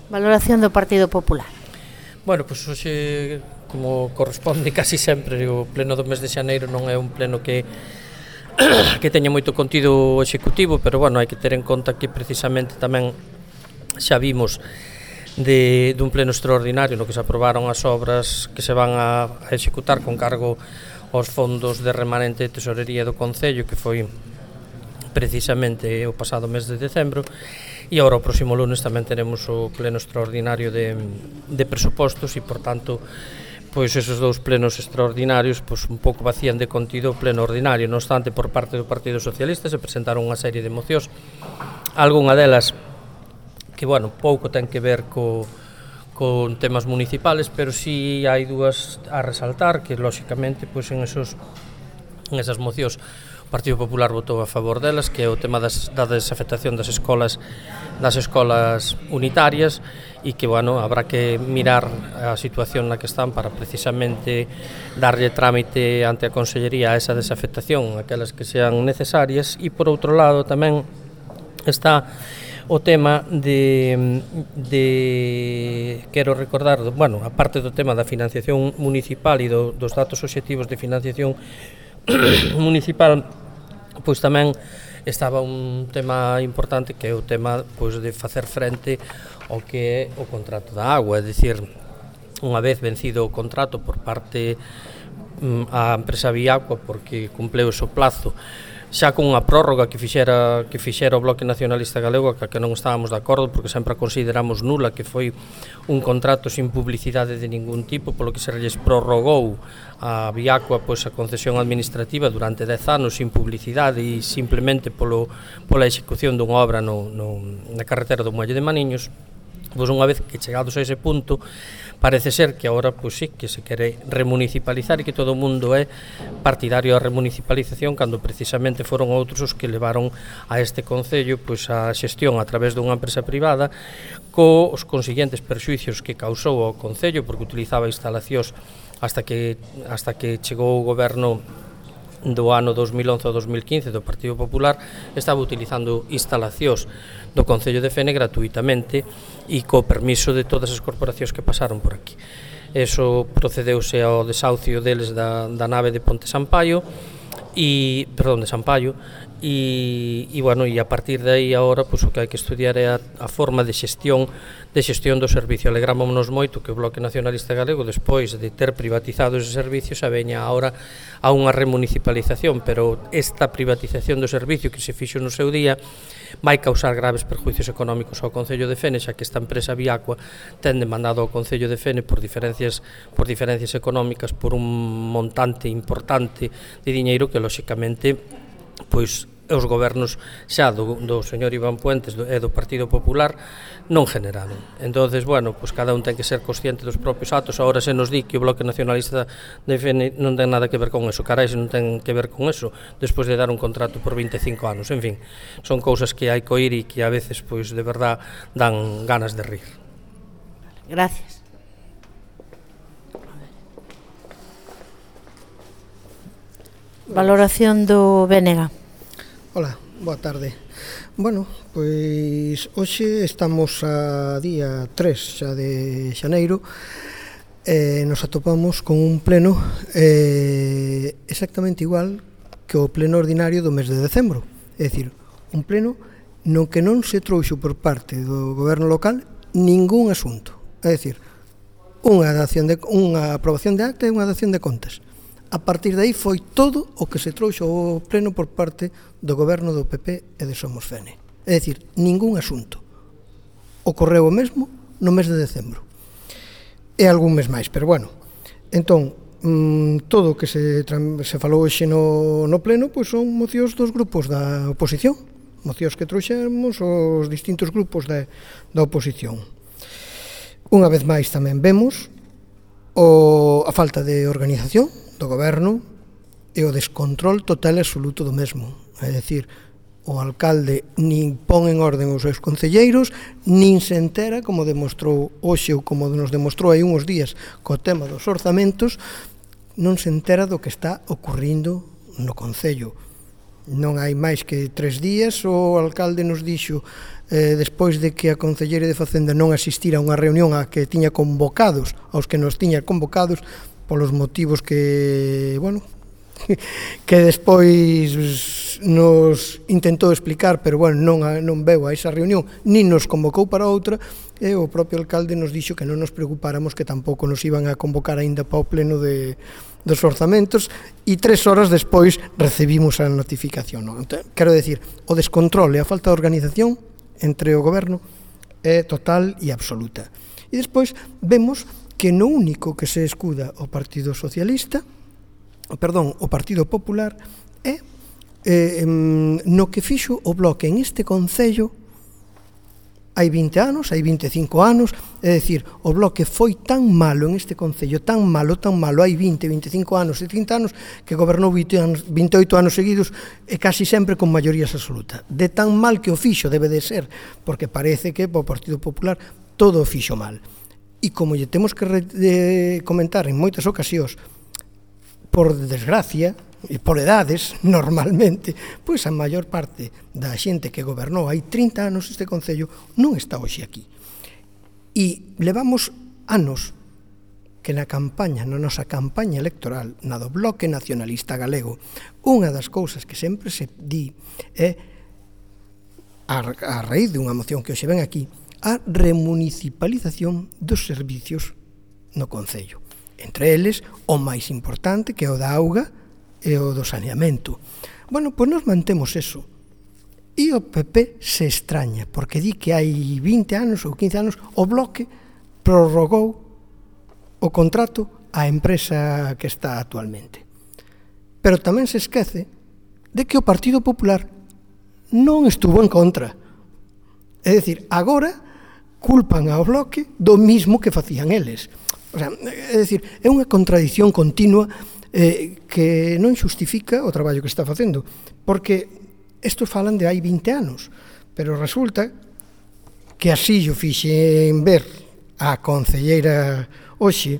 Valoración do Partido Popular. Bueno, pois hoxe, como corresponde casi sempre, o pleno do mes de xaneiro non é un pleno que teña moito contido executivo, pero bueno, hai que ter en conta que precisamente tamén xa vimos dun pleno extraordinario no que se aprobaron as obras que se van a executar con cargo aos fondos de remanente de tesorería do Concello, que foi precisamente o pasado mes de decembro. E agora o próximo lunes tamén teremos o pleno extraordinario de presupostos e, por tanto, pois esos dous plenos extraordinarios pois un pouco vacían de contido o pleno ordinario. Non obstante, por parte do Partido Socialista se presentaron unha serie de mocións, algunha delas que, bueno, pouco ten que ver con temas municipales, pero si hai dúas a resaltar que, lóxicamente, pois en esas mocións o Partido Popular votou a favor delas, que é o tema da desafectación das escolas unitarias, e que, bueno, habrá que mirar a situación na que están para precisamente darlle trámite ante a Consellería a esa desafectación, aquelas que sean necesarias. E, por outro lado, tamén está o tema quero recordar, bueno, a parte do tema da financiación municipal e dos datos obxectivos de financiación municipal, pois tamén estaba un tema importante, que é o tema pois de facer frente ao que é o contrato da agua, é dicir, unha vez vencido o contrato por parte a empresa Viacua, porque cumpleu o seu plazo, xa con unha prórroga que fixera o Bloque Nacionalista Galego, que non estábamos de acordo, porque sempre a consideramos nula, que foi un contrato sin publicidade de ningún tipo, polo que se lles prorrogou a Viacua pois a concesión administrativa durante 10 anos sin publicidade e simplemente pola execución dunha obra na carretera do Muelle de Maniños. Pois unha vez que chegados a ese punto, parece ser que agora pois sí, que se quere remunicipalizar e que todo o mundo é partidario da remunicipalización, cando precisamente foron outros os que levaron a este Concello pois a xestión a través dunha empresa privada, cos consiguientes perxuicios que causou ao Concello, porque utilizaba instalacións hasta que chegou o goberno do ano 2011 ao 2015 do Partido Popular, estaba utilizando instalacións do Concello de Fene gratuitamente e co permiso de todas as corporacións que pasaron por aquí. Eso procedeuse ao desahucio deles da nave de Ponte Sampaio de Sampaio e bueno, e a partir de aí agora pois o que hai que estudiar é a forma de xestión do servicio. Alegrámonos moito que o Bloque Nacionalista Galego, despois de ter privatizado ese servicio, xa veña agora a unha remunicipalización, pero esta privatización do servicio que se fixo no seu día vai causar graves perjuicios económicos ao Concello de Fene, xa que esta empresa Viacua ten demandado ao Concello de Fene por diferencias económicas por un montante importante de diñeiro que, lóxicamente, pois os gobernos xa do señor Iván Puentes e do Partido Popular non generaron. Entonces, bueno, pois cada un ten que ser consciente dos propios atos. Agora se nos di que o Bloque Nacionalista de Fene non ten nada que ver con eso. Carai, se non ten que ver con eso, despois de dar un contrato por 25 anos. En fin, son cousas que hai que oír e que a veces, pois, de verdad, dan ganas de rir. Gracias. Valoración do Bénega. Hola, boa tarde. Bueno, pois hoxe estamos a día 3 xa de xaneiro e nos atopamos con un pleno exactamente igual que o pleno ordinario do mes de decembro. É dicir, un pleno no que non se trouxo por parte do goberno local ningún asunto. É dicir, unha aprobación de acta e unha dación de contas. A partir de aí foi todo o que se trouxo ao pleno por parte do goberno do PP e de Somos Fene. É dicir, ningún asunto. Ocorreu o mesmo no mes de decembro. E algún mes máis, pero bueno. Entón, todo o que se falou hoxe no pleno pois son mocións dos grupos da oposición. Mocións que trouxemos os distintos grupos da oposición. Unha vez máis tamén vemos a falta de organización do goberno e o descontrol total e absoluto do mesmo. É dicir, o alcalde nin pon en orden os seus concelleiros, nin se entera, como demostrou hoxe ou como nos demostrou hai uns días co tema dos orzamentos, non se entera do que está ocurrindo no Concello. Non hai máis que 3 días, o alcalde nos dixo, despois de que a Concelleira de Facenda non asistira a unha reunión a que tiña convocados, aos que nos tiña convocados, polos motivos que, bueno, que despois nos intentou explicar, pero, bueno, non veu a esa reunión, nin nos convocou para outra, e o propio alcalde nos dixo que non nos preocupáramos, que tampouco nos iban a convocar aínda para o pleno dos orzamentos, e 3 horas despois recibimos a notificación. Non? Quero decir, o descontrol e a falta de organización entre o goberno é total e absoluta. E despois vemos que no único que se escuda o Partido Socialista, o Partido Popular, é no que fixo o Bloque en este Concello hai 20 anos, hai 25 anos, é dicir, o Bloque foi tan malo en este Concello, tan malo, hai 20, 25 anos e 30 anos, que gobernou 28 anos seguidos e casi sempre con maiorías absoluta. De tan mal que o fixo debe de ser, porque parece que o Partido Popular todo o fixo mal. E como lle temos que comentar en moitas ocasións, por desgracia, e por edades, normalmente, pois a maior parte da xente que gobernou hai 30 anos este Concello non está hoxe aquí. E levamos anos que na nosa campaña electoral, na do Bloque Nacionalista Galego, unha das cousas que sempre se di é, a raíz dunha moción que hoxe ven aquí, a remunicipalización dos servicios no Concello. Entre eles, o máis importante, que é o da auga, e o do saneamento. Bueno, pois nos mantemos eso. E o PP se extraña, porque di que hai 20 anos ou 15 anos o Bloque prorrogou o contrato á empresa que está actualmente. Pero tamén se esquece de que o Partido Popular non estuvo en contra. É dicir, agora culpan ao Bloque do mismo que facían eles. O sea, é dicir, é unha contradición continua que non xustifica o traballo que está facendo, porque estos falan de hai 20 anos, pero resulta que así yo fixen ver a concelleira hoxe,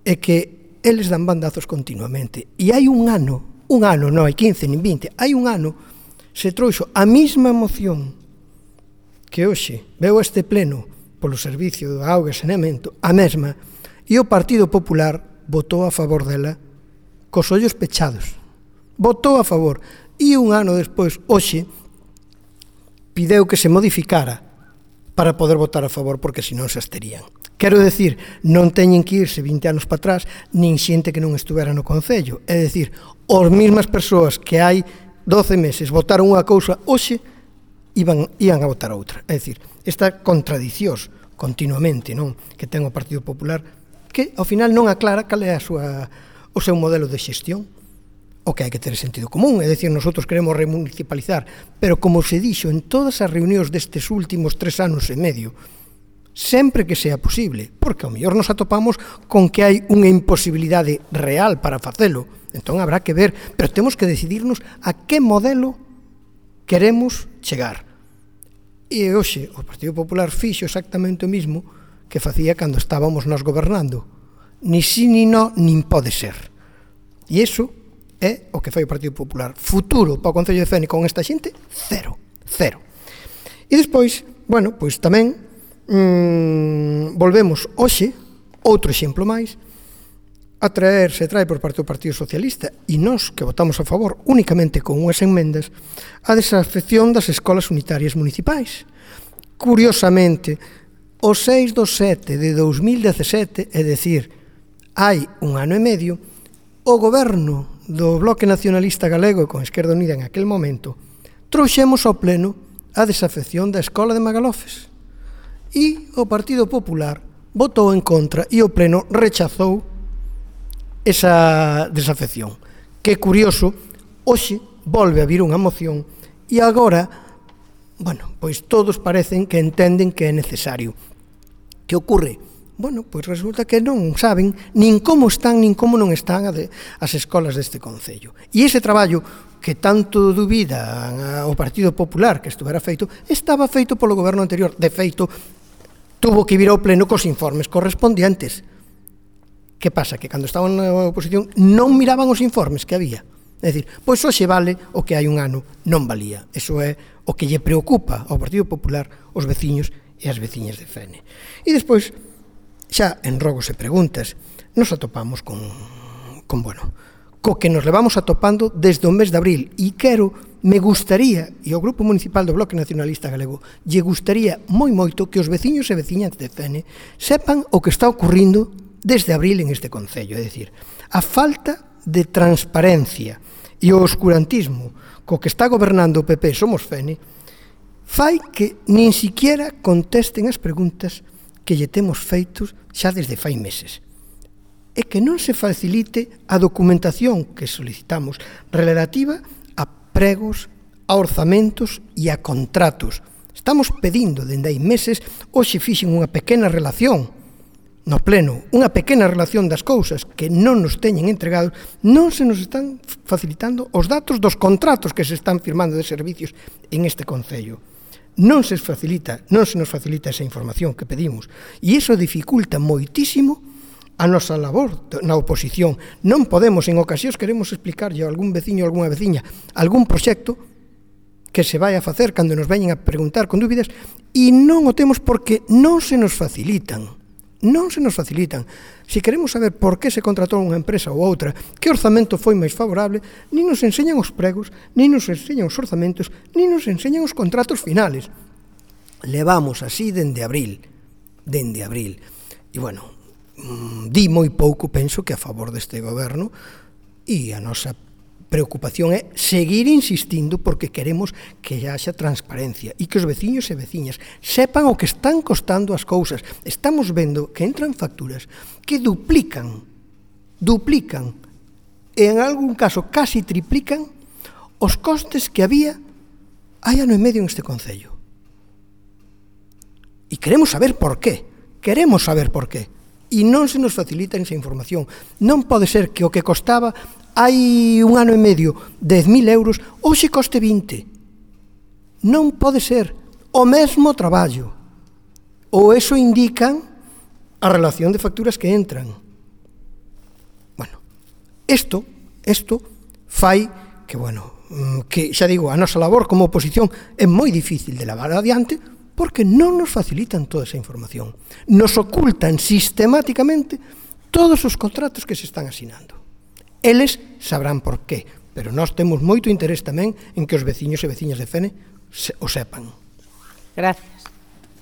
é que eles dan bandazos continuamente, e hai un ano, non hai 15 nin 20, hai un ano, se trouxo a mesma moción que hoxe veu este pleno polo servicio de auga e saneamento, a mesma, e o Partido Popular votou a favor dela cos ollos pechados. Votou a favor. E un ano despois, hoxe, pideu que se modificara para poder votar a favor, porque senón se absterían. Quero decir, non teñen que irse 20 anos para atrás, nin xente que non estuvera no Concello. É dicir, as mesmas persoas que hai 12 meses votaron unha cousa, hoxe iban a votar outra. É dicir, esta contradicións continuamente, non, que ten o Partido Popular, que ao final non aclara cal é o seu modelo de xestión, o que hai que ter sentido común, é dicir, nosotros queremos remunicipalizar, pero como se dixo en todas as reunións destes últimos 3 anos e medio, sempre que sea posible, porque ao mellor nos atopamos con que hai unha imposibilidade real para facelo, entón habrá que ver, pero temos que decidirnos a que modelo queremos chegar. E hoxe o Partido Popular fixo exactamente o mismo que facía cando estábamos nós gobernando. Ni sí, ni no, nin pode ser. E iso é o que fai o Partido Popular. Futuro para o Concello de Fene con esta xente, cero. E despois, bueno, pois tamén volvemos hoxe, outro exemplo máis, se trae por parte do Partido Socialista, e nós que votamos a favor únicamente con unhas enmendas, a desafección das escolas unitarias municipais. Curiosamente, o 6/7 de 2017, é dicir, hai un ano e medio, o goberno do Bloque Nacionalista Galego con Esquerda Unida en aquel momento trouxemos ao pleno a desafección da escola de Magalofes e o Partido Popular votou en contra e o pleno rechazou esa desafección. Que curioso, hoxe volve a vir unha moción e agora, bueno, pois todos parecen que entenden que é necesario. Que ocorre? Bueno, pois resulta que non saben nin como están, nin como non están as escolas deste Concello. E ese traballo que tanto dubida o Partido Popular que estuvera feito, estaba feito polo goberno anterior. De feito, tuvo que vir ao pleno cos informes correspondientes. Que pasa? Que cando estaban na oposición non miraban os informes que había. É dicir, pois hoxe vale o que hai un ano non valía. Eso é o que lle preocupa ao Partido Popular, os veciños e as veciñas de Fene. E despois, xa en rogos e preguntas, nos atopamos co que nos levamos atopando desde o mes de abril. E me gustaría, e ao Grupo Municipal do Bloque Nacionalista Galego, lle gustaría moi moito que os veciños e veciñas de Fene sepan o que está ocurrindo desde abril en este concello. É dicir, a falta de transparencia e o oscurantismo co que está gobernando o PP Somos Fene fai que nin siquiera contesten as preguntas que lle temos feitos xa desde fai meses. E que non se facilite a documentación que solicitamos relativa a pregos, a orzamentos e a contratos. Estamos pedindo dende hai meses, hoxe fixen unha pequena relación no pleno, unha pequena relación das cousas que non nos teñen entregados, non se nos están facilitando os datos dos contratos que se están firmando de servicios en este concello. Non se nos facilita esa información que pedimos e iso dificulta moitísimo a nosa labor na oposición. Non podemos, en ocasións queremos explicarlle a algún veciño ou algunha veciña algún proxecto que se vai a facer cando nos veñen a preguntar con dúbidas e non o temos porque non se nos facilitan. Non se nos facilitan. Se queremos saber por que se contratou unha empresa ou outra, que orzamento foi máis favorable, nin nos enseñan os pregos, nin nos enseñan os orzamentos, nin nos enseñan os contratos finales. Levamos así dende abril. E, bueno, di moi pouco, penso, que a favor deste goberno, e a nosa preocupación é seguir insistindo porque queremos que haxa transparencia e que os veciños e veciñas sepan o que están costando as cousas. Estamos vendo que entran facturas que duplican e en algún caso casi triplican os costes que había hai ano e medio en este concello. E queremos saber por qué. E non se nos facilita esa información. Non pode ser que o que costaba hai un ano e medio 10.000 euros, hoxe coste 20. Non pode ser o mesmo traballo. Ou eso indican a relación de facturas que entran. Bueno, isto fai que, xa digo, a nosa labor como oposición é moi difícil de levar adiante porque non nos facilitan toda esa información. Nos ocultan sistemáticamente todos os contratos que se están asinando. Eles sabrán por qué, pero nós temos moito interés tamén en que os veciños e veciñas de Fene o sepan. Gracias.